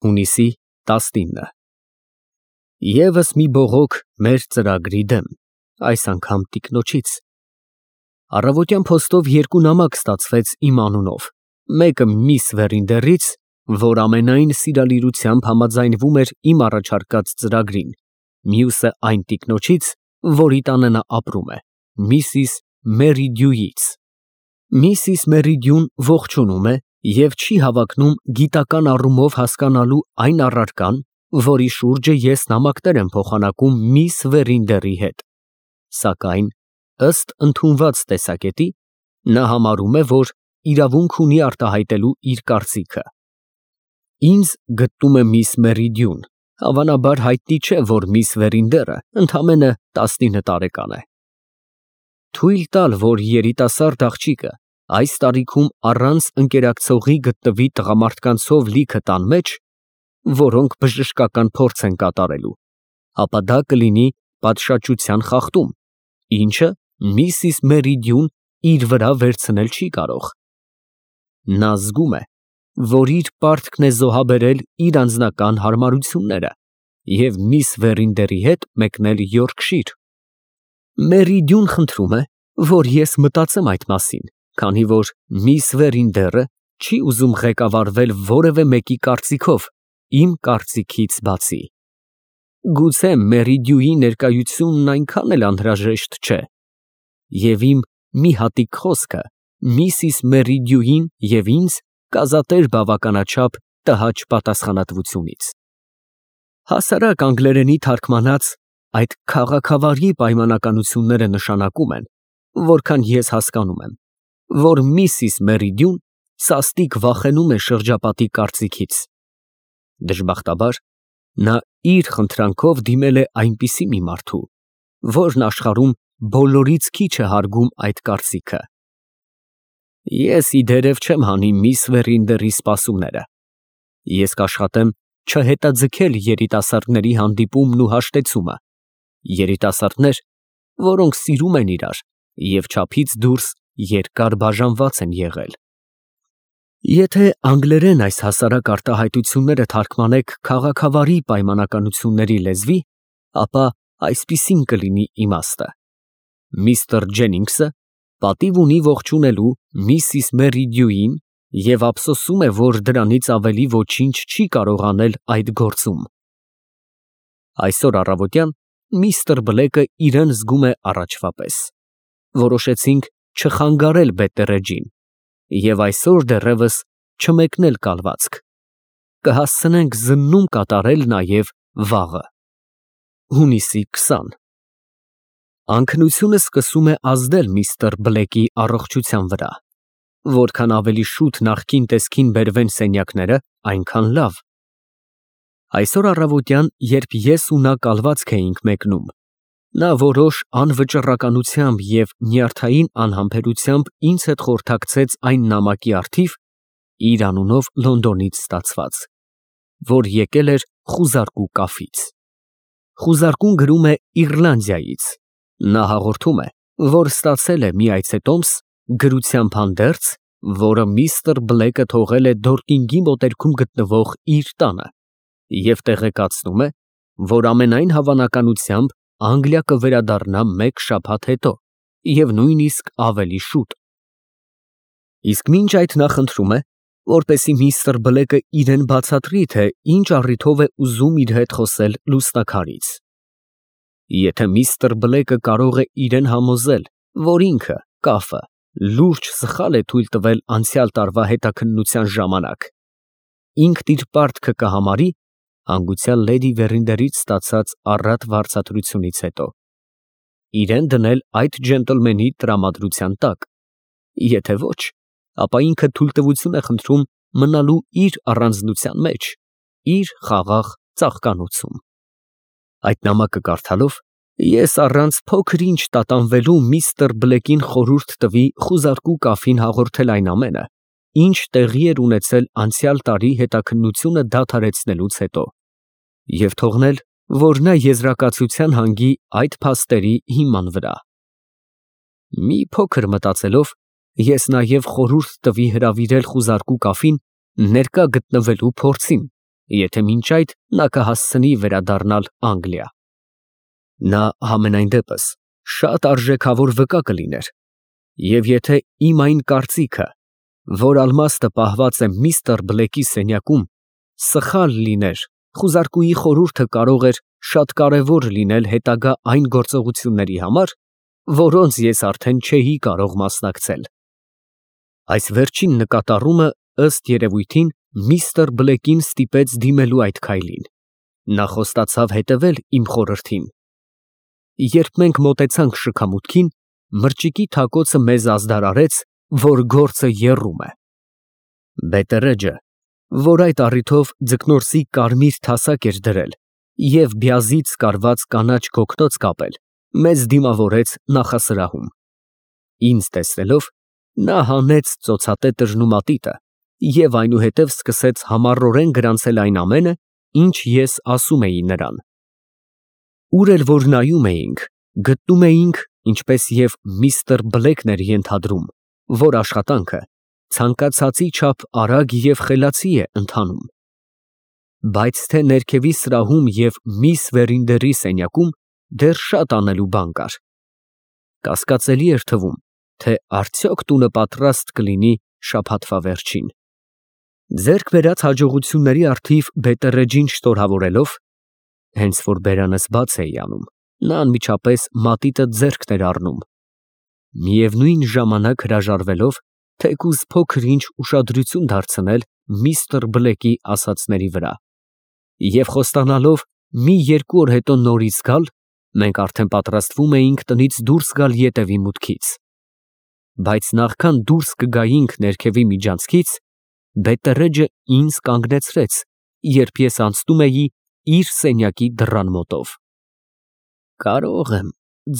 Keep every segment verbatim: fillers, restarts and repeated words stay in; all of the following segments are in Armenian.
Հունիսի տասնինը Եվս մի բողոք մեր ծրագրի դեմ, այս անգամ տիկնոջից։ Առավոտյան փոստով երկու նամակ ստացվեց իմ անունով, մեկը միս Վերինդերից, որ ամենայն սիրալիրությամբ համաձայնվում էր իմ առաջարկած ծրագրին, մյուսը այն տիկնոջից, որի տանը նա ապրում է, միսիս Մերիդյուից։ Միսիս Մերիդյուն ողջունում է և չի հավակնում գիտական առումով հասկանալու այն առարկան, որի շուրջը ես նամակներ եմ փոխանակում միս Վերինդերի հետ, սակայն, ըստ ընդունված տեսակետի, նա համարում է, որ իրավունք ունի արտահայտելու իր կարծիքը։ Ինձ գտնում է միս Մերիդյուն, հավանաբար հայտնի չէ, որ միս Վերինդերը ընդամենը տասնինը տարեկան է։ Թույլ տալ, որ երիտասարդ աղջիկը այս տարիքում առանց ընկերակցողի գտնվի տղամարդկանցով լիքը տան մեջ, որոնք բժշկական փորձ են կատարելու, ապա դա կլինի պատշաճության խախտում, ինչը միսիս Մերիդյուն իր վրա վերցնել չի կարող։ Նա զգում է, որ իր պարտքն է զոհաբերել իր անձնական հարմարությունները և միս Վերինդերի հետ մեկնել Յորքշիր։ Մերիդյուն խնդրում է, որ ես մտածեմ այդ մասին, քանի որ միս Վերինդերը չի ուզում ղեկավարվել որևէ մեկի կարծիքով, իմ կարծիքից բացի։ Գուցե Մերիդյուի ներկայությունն այնքան էլ անհրաժեշտ չէ, և իմ մի հատիկ խոսքը միսիս Մերիդյուին և ինձ կազատեր բավականաչափ տհաճ պատասխանատվությունից։ Հասարակ անգլերենի թարգմանած այդ քաղաքավարի պայմանականությունները նշանակում են, որքան ես հասկանում եմ, որ միսիս Մերիդյուն սաստիկ վախենում է շրջապատի կարծիքից։ Դժբախտաբար, նա իր խնդրանքով դիմել է այնպիսի մի մարդու, որն աշխարհում բոլորից քիչ է հարգում այդ կարծիքը։ Ես ի դերև չեմ հանի միս Վերինդերի սպասումները։ Ես կաշխատեմ չհետաձգել երիտասարդների հանդիպումն ու հաշտեցումը, երիտասարդներ, որոնք սիրում են իրար և չափից դուրս երկար բաժանված են եղել։ Եթե անգլերեն այս հասարակ արտահայտությունները թարգմանեք քաղաքավարի պայմանականությունների լեզվի, ապա այսպիսին կլինի իմաստը. Միսթր Ջենինգսը պատիվ ունի ողջունելու միսիս Մերիդյուին և ափսոսում է, որ դրանից ավելի ոչինչ չի կարող անել այդ գործում։ Այսօր առավոտյան միստր Բլեկը իրան զգում է առաջվա պես։ Որոշեցինք չխանգարել Բետտերեջին և այսօր դեռևս չմեկնել կալվածք։ Կհասցնենք զննում կատարել նաև վաղը։ Հունիսի քսանը Անքնությունը սկսում է ազդել միստր Բլեկի առողջության վրա։ Որքան ավելի շուտ նախկին տեսքին բերվեն սենյակները, այնքան լավ։ Այսօր առավոտյան, երբ ես ու նա կալվածք էինք մեկնում, նա որոշ անվճռականությամբ և նյարդային անհամբերությամբ ինձ հետ խորհրդակցեց այն նամակի առթիվ, իր անունով Լոնդոնից ստացված, որ եկել էր խուզարկու կաֆից։ Խուզարկուն գրում է Իռլանդիայից։ Նա հաղորդում է, որ ստացել է մի այցետոմս գրությամբ հանդերձ, որը միստր Բլեկը թողել է Դորկինգի մոտերքում գտնվող իր տանը, և տեղեկացնում է, որ ամենայն հավանականությամբ Անգլիա կվերադառնա մեկ շաբաթ հետո և նույնիսկ ավելի շուտ։ Իսկ մինչ այդ նա խնդրում է, որպեսզի միստր Բլեկը իրան բացատրի, թե ինչ առիթով է ուզում իր հետ խոսել լուսնակարից։ Եթե միստր Բլեկը կարող է իրան համոզել, որ ինքը, կաֆը, լուրջ սխալ է թույլ տվել անցյալ տարվա հետաքննության ժամանակ, ինքն իր պարտքը կհամարի հանգուցյալ լեդի Վերինդերից ստացած առատ վարձատրությունից հետո, իրան դնել այդ ջենտլմենի տրամադրության տակ, եթե ոչ, ապա ինքը թույլտվություն է խնդրում մնալու իր առանձնության մեջ, իր խաղաղ ծաղկանոցում։ Այդ նամակը կարդալով, ես առանց փոքր-ինչ տատանվելու միստր Բլեկին խորհուրդ տվի խուզարկու կաֆին հաղորդել այն ամենը, ինչ տեղի էր ունեցել անցյալ տարի հետաքննությունը դադարեցնելուց հետո, և թողնել, որ նա եզրակացության հանգի այդ փաստերի հիման վրա։ Մի փոքր մտածելով, ես նաև խորհուրդ տվի հրավիրել խուզարկու կաֆին ներկա գտնվելու փորձին եթե մինչ այդ նա կհասցնի վերադառնալ Անգլիա։ Նա համենայն դեպս շատ արժեքավոր վկա կլիներ, և եթե իմ այն կարծիքը, որ ալմաստը պահված է միստր Բլեքի սենյակում, սխալ լիներ, խուզարկուի խորհուրդը կարող էր շատ կարևոր լինել հետագա այն գործողությունների համար, որոնց ես արդեն չէի կարող մասնակցել։ Այս վերջին նկատառումը, ըստ երևույթին, միստր Բլեկին ստիպեց դիմելու այդ քայլին։ Նա խոստացավ հետևել իմ խորհրդին։ Երբ մենք մոտեցանք շքամուտքին, մրճիկի թակոցը մեզ ազդարարեց, որ գործը եռում է։ Բետերեջը, որ այդ առիթով ձկնորսի կարմիր թասակ էր դրել և բյազից կարված կանաչ գոգնոց կապել, մեզ դիմավորեց նախասրահում։ Ինձ տեսնելով, նա հանեց ծոցատետրն ու մատիտը և այնուհետև սկսեց համառորեն գրանցել այն ամենը, ինչ ես ասում էի նրան։ Ուր էլ որ նայում էինք, գտնում էինք, ինչպես և միստր Բլեքն էր ենթադրում, որ աշխատանքը ցանկացածի չափ արագ և խելացի է ընթանում։ Բայց թե ներքևի սրահում և միս Վերինդերի սենյակում դեռ շատ անելու բան կար։ Կասկածելի էր թվում, թե արդյոք տունը պատրաստ կլինի շաբաթվա վերջին։ Ձեռք բերած հաջողությունների առթիվ Բետերեջին շնորհավորելով (հենց որ բերանս բաց էի անում, նա անմիջապես մատիտը ձեռքն էր առնում), միևնույն ժամանակ հրաժարվելով թեկուզ փոքր֊ինչ ուշադրություն դարձնել միստր Բլեկի ասածների վրա, և խոստանալով մի երկու օր հետո նորից գալ, մենք արդեն պատրաստվում էինք տնից դուրս գալ ետևի մուտքից։ Բայց նախքան դուրս կգայինք ներքևի միջանցքից, Բետերեջը ինձ կանգնեցրեց, երբ ես անցնում էի իր սենյակի դռան մոտով։ «Կարո՞ղ եմ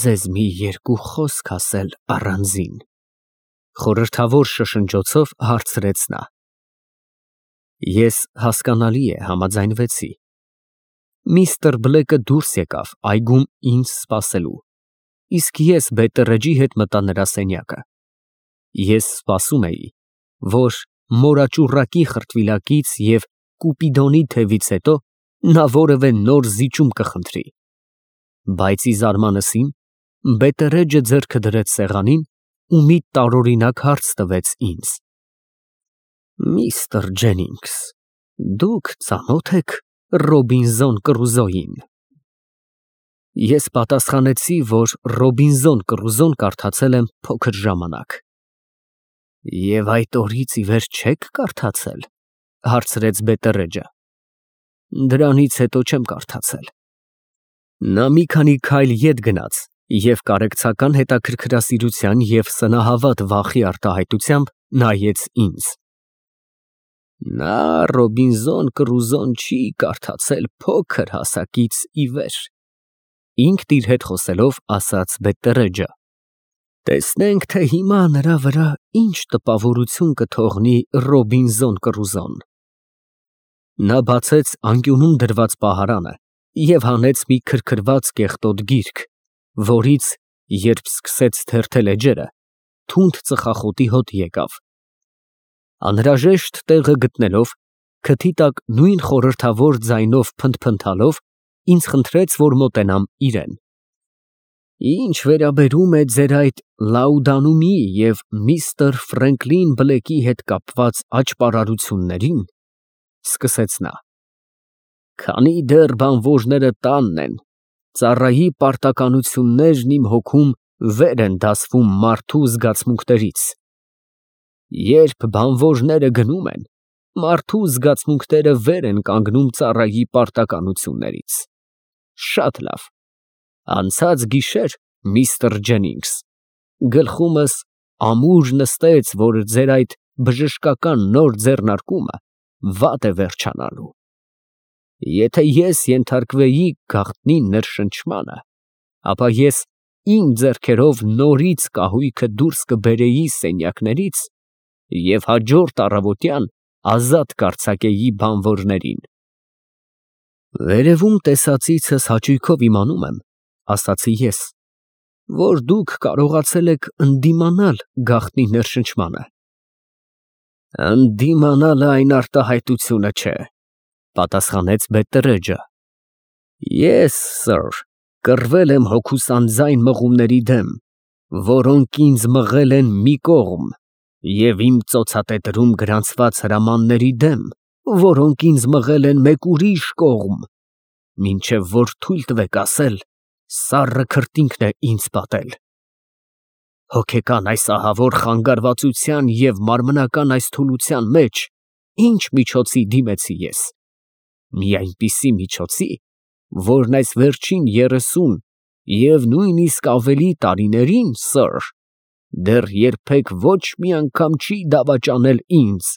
ձեզ մի երկու խոսք ասել առանձին», խորհրդավոր շշնջոցով հարցրեց նա։ Ես, հասկանալի է, համաձայնվեցի։ Միստր Բլեկը դուրս եկավ այգում ինձ սպասելու, իսկ ես Բետերեջի հետ մտա նրա սենյակը։ Ես սպասում էի, որ մորաճուռակի խրտվիլակից և կուպիդոնի թևից հետո նա որևէ նոր զիջում կխնդրի։ Բայց ի զարմանս իմ, Բետերեջը ձեռքը դրեց սեղանին ու մի տարօրինակ հարց տվեց ինձ. «Միստր Ջենինգս, դուք ծանո՞թ եք Ռոբինզոն Կրուզոյին»։ Ես պատասխանեցի, որ Ռոբինզոն Կրուզոն կարդացել եմ փոքր ժամանակ։ «Եվ այդ օրից ի վեր չե՞ք կարդացել», հարցրեց Բետերեջը։ «Դրանից հետո չեմ կարդացել»։ Նա մի քանի քայլ ետ գնաց և կարեկցական հետաքրքրասիրության և սնահավատ վախի արտահայտությամբ նայեց ինձ։ «Նա Ռոբինզոն Կրուզոն չի կարդացել փոքր հասակից ի վեր», ինքն իր հետ խոսելով ասաց Բետերեջը։ «Տեսնենք, թե հիմա նրա վրա ինչ տպավորություն կթողնի Ռոբինզոն Կրուզոն»։ Նա բացեց անկյունում դրված պահարանը և հանեց մի քրքրված կեղտոտ գիրք, որից, երբ սկսեց թերթել էջերը, թունդ ծխախոտի հոտ եկավ։ Անհրաժեշտ տեղը գտնելով, քթի տակ նույն խորհրդավոր ձայնով փնթփնթալով, ինձ խնդրեց, որ մոտենամ իրան։ «Ինչ վերաբերում է ձեր այդ Լաուդանումի և միստր Ֆրենկլին Բլեքի հետ կապված աճպարարություններին, ֊ սկսեց նա, ֊ քանի դեռ բանվորները տանն են, ծառայի պարտականություններն իմ հոգում վեր են դասվում մարդու զգացմունքներից։ Երբ բանվորները գնում են, մարդու զգացմունքները վեր են կանգնում ծառայի պարտականություններից։ Շատ լավ։ Անցած գիշեր, միստր Ջենինգս, գլխումս ամուր նստեց, որ ձեր այդ բժշկական նոր ձեռնարկումը վատ է վերջանալու։ Եթե ես ենթարկվեի գաղտնի ներշնչմանը, ապա ես իմ ձեռքերով նորից կահույքը դուրս կբերեի սենյակներից և հաջորդ առավոտյան ազատ կարձակեի բանվորներին։ Վերևում տեսածիցս հաճույքով իմանում եմ, ֊ ասացի ես, ֊ որ դուք կարողացել եք ընդդիմանալ գաղտնի ներշնչմանը։ Ընդդիմանալը այն արտահայտությունը չէ, Պատասխանեց Բետտերեջը։ Ես, սըր, կռվել եմ հոգուս անձայն մղումների դեմ, որոնք ինձ մղել են մի կողմ, և իմ ծոցատետրում գրանցված հրամանների դեմ, որոնք ինձ մղել են մեկ ուրիշ կողմ, մինչև որ թույլ տվեք ասել, սառը քրտինքն է ինձ պատել։ Հոգեկան այս ահավոր խանգարվածության և մարմնական այս թուլության մեջ ինչ միջոցի դիմեցի ես։ Մի այնպիսի միջոցի, որն այս վերջին երեսուն և նույնիսկ ավելի տարիներին, սըր, դեռ երբեք ոչ մի անգամ չի դավաճանել ինձ,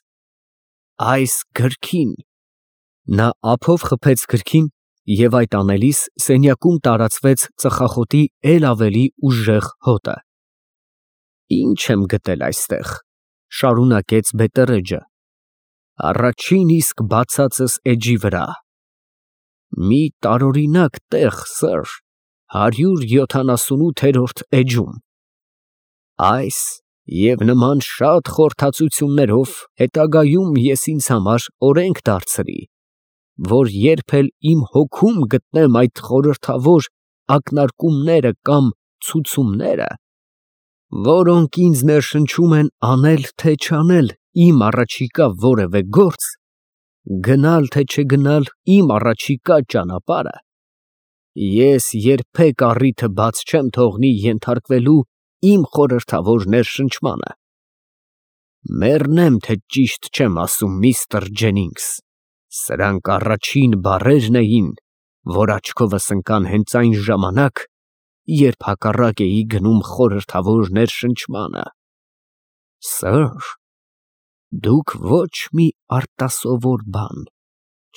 այս գրքին։ Նա ափով խփեց գրքին և այդ անելիս սենյակում տարածվեց ծխախոտի էլ ավելի ուժեղ հոտը։ Ինչ եմ գտել այստեղ, շարունակեց Բետտերեջը, առաջին իսկ բացածս էջի վրա, մի տարօրինակ տեղ, սըր, հարյուր յոթանասունութերորդ էջում, այս և նման շատ խորհրդածություններով հետագայում ես ինձ համար օրենք դարձրի, որ երբ էլ իմ հոգում գտնեմ այդ խորհրդավոր ակնարկումները կամ ցուցումները, որոնք ինձ ներշնչում են անել թե չանել իմ առաջիկա որևէ գործ, գնալ թե չգնալ իմ առաջիկա ճանապարհը, ես երբեք առիթը բաց չեմ թողնի ենթարկվելու իմ խորհրդավոր ներշնչմանը։ Մեռնեմ, թե ճիշտ չեմ ասում, միստր Ջենինգս, սրանք առաջին բառերն էին, որ աչքովս ընկան հենց այն ժամանակ, երբ հակառակ էի գնում խորհրդավոր ներշնչմանը։ Սըր, դուք ոչ մի արտասովոր բան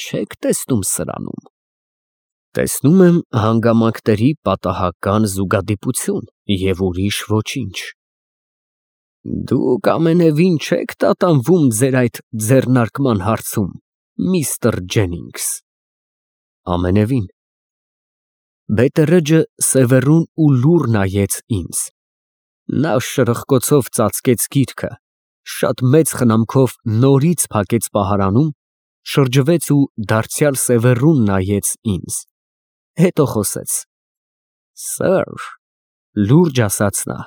չեք տեսնում սրանում։ Տեսնում եմ հանգամանքների պատահական զուգադիպություն և ուրիշ ոչինչ։ Դուք ամենևին չեք տատանվում ձեր այդ ձեռնարկման հարցում, միստր Ջենինգս։ Ամենևին։ Բետտերեջը սևեռուն ու լուռ նայեց ինձ։ Նա շրխկոցով ծածկեց գիրքը, շատ մեծ խնամքով նորից փակեց պահարանում, շրջվեց ու դարձյալ սևեռուն նայեց ինձ, հետո խոսեց. Սըր, լուրջ ասաց նա,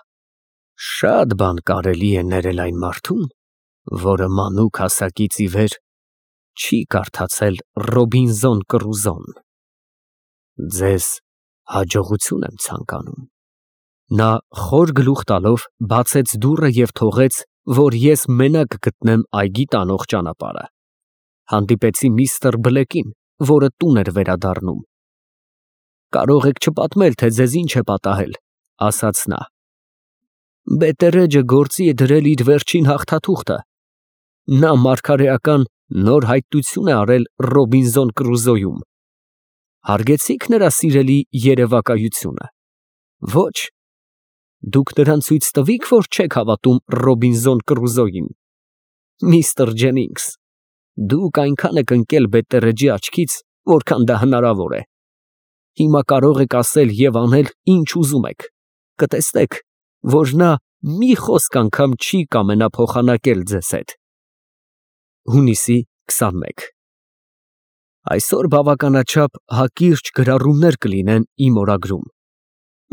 շատ բան կարելի է ներել այն մարդուն, որը մանուկ հասակից ի վեր չի կարդացել Ռոբինզոն Կռուզոն։ Ձեզ հաջողություն եմ ցանկանում։ Նա խոր գլուխ տալով բացեց դուռը և թողեց, որ ես մենակ գտնեմ այգի տանող ճանապարհը։ Հանդիպեցի միստր Բլեկին, որը տուն էր վերադառնում։ Կարող եք չպատմել, թե ձեզ ինչ է պատահել, ասաց նա։ Բետտերեջը գործի է դրել իր վերջին հաղթաթուղթը։ Նա մարգարեական նոր հայտնություն է արել Ռոբինզոն Կռուզոյում։ Հարգեցի՞ք նրա սիրելի երևակայությունը։ Ոչ։ Դուք նրան ցույց տվի՞ք, որ չեք հավատում Ռոբինզոն Կռուզոյին։ Միստր Ջենինգս, դուք այնքան եք ընկել Բետտերեջի աչքից, որքան դա հնարավոր է։ Հիմա կարող եք ասել և անել ինչ ուզում եք, կտեսնեք, որ նա մի խոսք անգամ չի կամենա փոխանակել ձեզ հետ։ Հունիսի քսանմեկ Այսօր բավականաչափ հակիրճ գրառումներ կլինեն իմ օրագրում։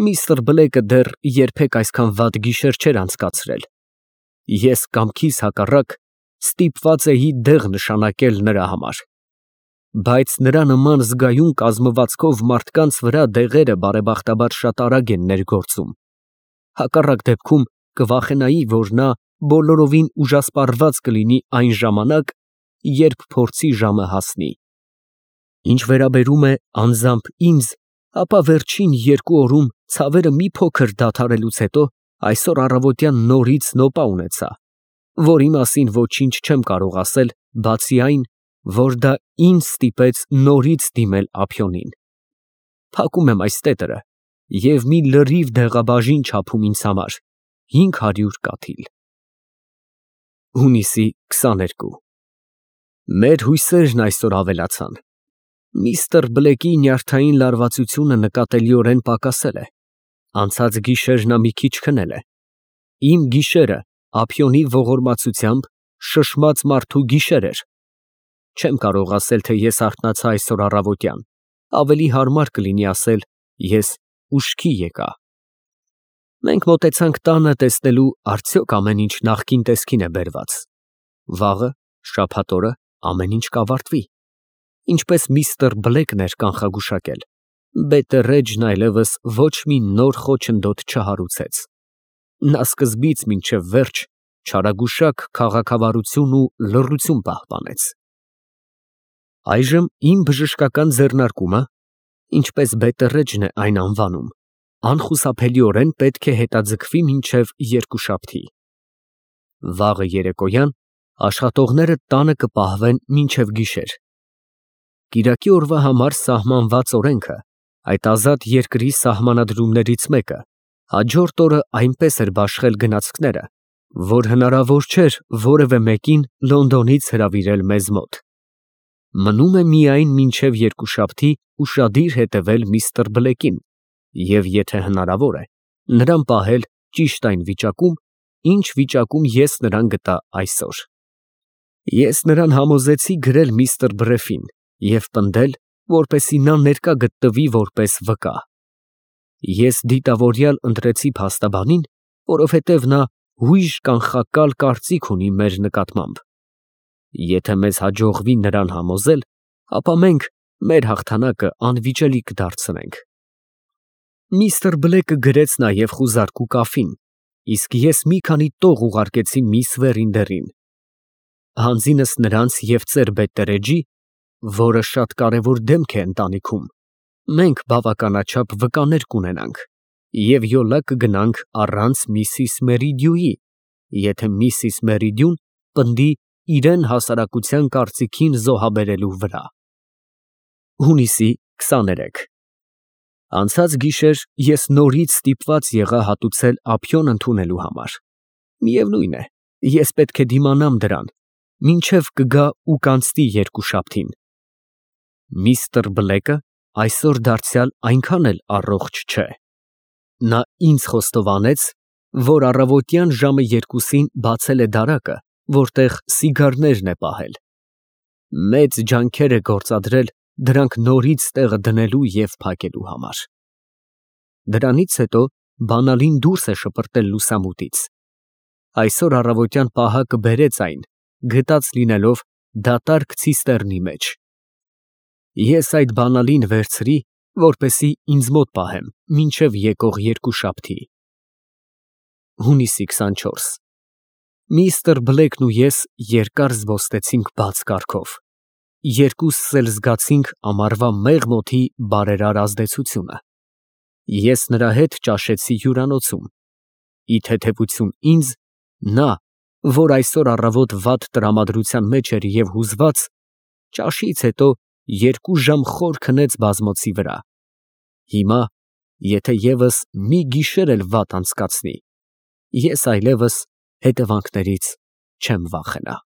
Միստր Բլեկը դեռ երբեք այսքան վատ գիշեր չէր անցկացրել։ Ես կամքիս հակառակ ստիպված էի դեղ նշանակել նրա համար։ Բայց նրա նման զգայուն կազմվածքով մարդկանց վրա դեղերը բարեբախտաբար շատ արագ են ներգործում։ Հակառակ դեպքում կվախենայի, որ նա բոլորովին ուժասպառված կլինի այն ժամանակ, երբ փորձի ժամը հասնի։ Ինչ վերաբերում է անձամբ ինձ, ապա վերջին երկու օրում ցավերը մի փոքր դադարելուց հետո այսօր առավոտյան նորից նոպա ունեցա, որի մասին ոչինչ չեմ կարող ասել, բացի այն, որ դա ինձ ստիպեց նորից դիմել ափիոնին։ Փակում եմ այս տետրը և մի լրիվ դեղաբաժին չափում ինձ համար, հինգ հարյուր կաթիլ։ Հունիսի քսաներկու Մեր հույսերն այսօր ավելացան։ Միստր Բլեկի նյարդային լարվածությունը նկատելիորեն պակասել է։ Անցած գիշեր նա մի քիչ քնել է։ Իմ գիշերը ափիոնի ողորմածությամբ շշմած մարդու գիշեր էր։ Չեմ կարող ասել, թե ես արթնացա այսօր առավոտյան, ավելի հարմար կլինի ասել ես ուշքի եկա։ Մենք մոտեցանք տանը տեսնելու արդյոք ամեն ինչ նախկին տեսքին է բերված։ Վաղը, շաբաթ օրը ամեն ինչ կավարտվի։ Ինչպես միստր Բլեքն էր կանխագուշակել, Բետերեջն այլևս ոչ մի նոր խոչընդոտ չհարուցեց։ Նա սկզբից մինչև վերջ չարագուշակ քաղաքավարություն ու լռություն պահպանեց։ Այժմ իմ բժշկական ձեռնարկումը, ինչպես Բետերեջն է այն անվանում, անխուսափելիորեն պետք է հետաձգվի մինչև երկուշաբթի։ Վաղը երեկոյան աշխատողները տանը կպահվեն մինչև գիշեր։ Կիրակի օրվա համար սահմանված օրենքը, այդ ազատ երկրի սահմանադրումներից մեկը, հաջորդ օրը այնպես էր բաշխել գնացքները, որ հնարավոր չէր որևէ մեկին Լոնդոնից հրավիրել մեզ մոտ։ Մնում է միայն մինչև երկուշաբթի ուշադիր հետևել միստր Բլեքին և, եթե հնարավոր է, նրան պահել ճիշտ այն վիճակում, ինչ վիճակում ես նրան գտա այսօր։ Ես նրան համոզեցի գրել միստր Բրեֆին և պնդել, որպեսզի նա ներկա գտնվի որպես վկա։ Ես դիտավորյալ ընտրեցի փաստաբանին, որովհետև նա հույժ կանխակալ կարծիք ունի մեր նկատմամբ։ Եթե մեզ հաջողվի նրան համոզել, ապա մենք մեր հաղթանակը անվիճելի կդարձնենք։ Միստր Բլեքը գրեց նաև խուզարկու կաֆին, իսկ ես մի քանի տող ուղարկեցի միս Վերինդերին։ Հանձինս նրանց և ծեր Բետերեջի, որը շատ կարևոր դեմք է ընտանիքում, մենք բավականաչափ վկաներ կունենանք և յոլա կգնանք առանց միսիս Մերիդյուի, եթե միսիս Մերիդյուն պնդի իրան հասարակության կարծիքին զոհաբերելու վրա։ Հունիսի քսաներեք Անցած գիշեր ես նորից ստիպված եղա հատուցել ափիոն ընդունելու համար։ Միևնույն է, ես պետք է դիմանամ դրան, մինչև կգա ու կանցնի երկուշաբթին։ Միստր Բլեքը այսօր դարձյալ այնքան էլ առողջ չէ։ Նա ինձ խոստովանեց, որ առավոտյան ժամը երկուսին բացել է դարակը, որտեղ սիգարներն է պահել։ Մեծ ջանքեր է գործադրել դրանք նորից տեղը դնելու և փակելու համար։ Դրանից հետո բանալին դուրս է շպրտել լուսամուտից։ Այսօր առավոտյան պահակը բերեց այն, գտած լինելով դատարկ ցիստեռնի մեջ։ Ես այդ բանալին վերցրի, որպեսզի ինձ մոտ պահեմ մինչև եկող երկուշաբթի։ Հունիսի քսանչորս Միստր Բլեքն ու ես երկար զբոսնեցինք բաց կառքով։ Երկուսս էլ զգացինք ամառվա մեղմ օդի բարերար ազդեցությունը։ Ես նրա հետ ճաշեցի հյուրանոցում։ Ի թեթևություն ինձ, նա, որ այսօր առավոտ վատ տրամադրության մեջ էր և հուզված, ճաշից հետո երկու ժամ խոր քնեց բազմոցի վրա։ Հիմա, եթե ևս մի գիշեր էլ վատ անցկացնի, ես այլևս հետևանքներից չեմ վախենա։